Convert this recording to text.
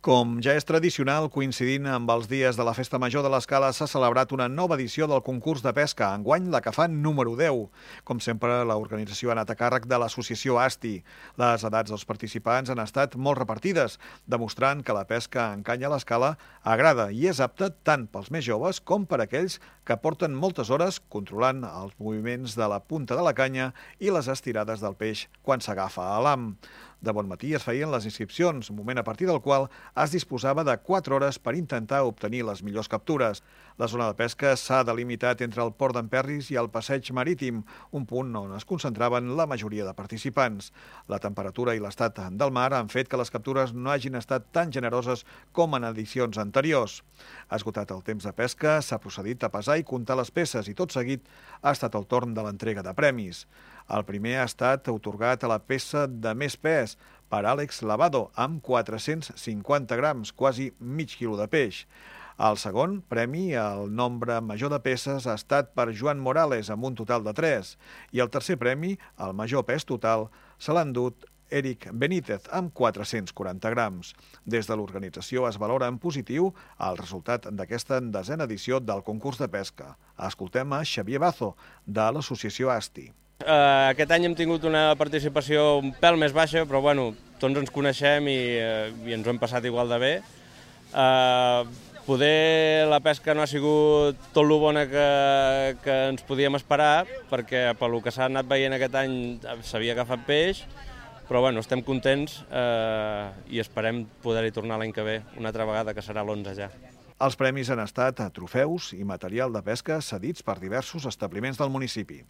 Com ja és tradicional, coincidint amb els dies de la Festa Major de l'Escala, s'ha celebrat una nova edició del concurs de pesca, enguany la que fa número 10. Com sempre, l'organització ha anat a càrrec de l'associació ASTI. Les edats dels participants han estat molt repartides, demostrant que la pesca en canya a l'Escala agrada i és apta tant pels més joves com per aquells que porten moltes hores controlant els moviments de la punta de la canya i les estirades del peix quan s'agafa a l'ham. De bon matí es feien les inscripcions, moment a partir del qual es disposava de 4 hores per intentar obtenir les millors captures. La zona de pesca s'ha delimitat entre el port d'Emperris i el passeig marítim, un punt on es concentraven la majoria de participants. La temperatura i l'estat del mar han fet que les captures no hagin estat tan generoses com en edicions anteriors. Esgotat el temps de pesca, s'ha procedit a pesar i comptar les peces i tot seguit ha estat el torn de l'entrega de premis. El primer ha estat atorgat a la peça de més pes per Àlex Lavado, amb 450 grams, quasi mig quilo de peix. El segon premi, el nombre major de peces, ha estat per Joan Morales, amb un total de 3. I el tercer premi, el major pes total, se l'ha endut Eric Benítez, amb 440 grams. Des de l'organització es valora en positiu el resultat d'aquesta 10a edició del concurs de pesca. Escoltem a Xavier Bazo, de l'associació ASTI. Aquest any hem tingut una participació un pèl més baixa, però bueno, tots ens coneixem i ens ho hem passat igual de bé. Poder la pesca no ha sigut tot lo bona que ens podíem esperar, perquè pel que s'ha anat veient aquest any s'havia agafat peix, però bueno, estem contents i esperem poder-hi tornar l'any que ve, una altra vegada, que serà l'11 ja. Els premis han estat trofeus i material de pesca cedits per diversos establiments del municipi.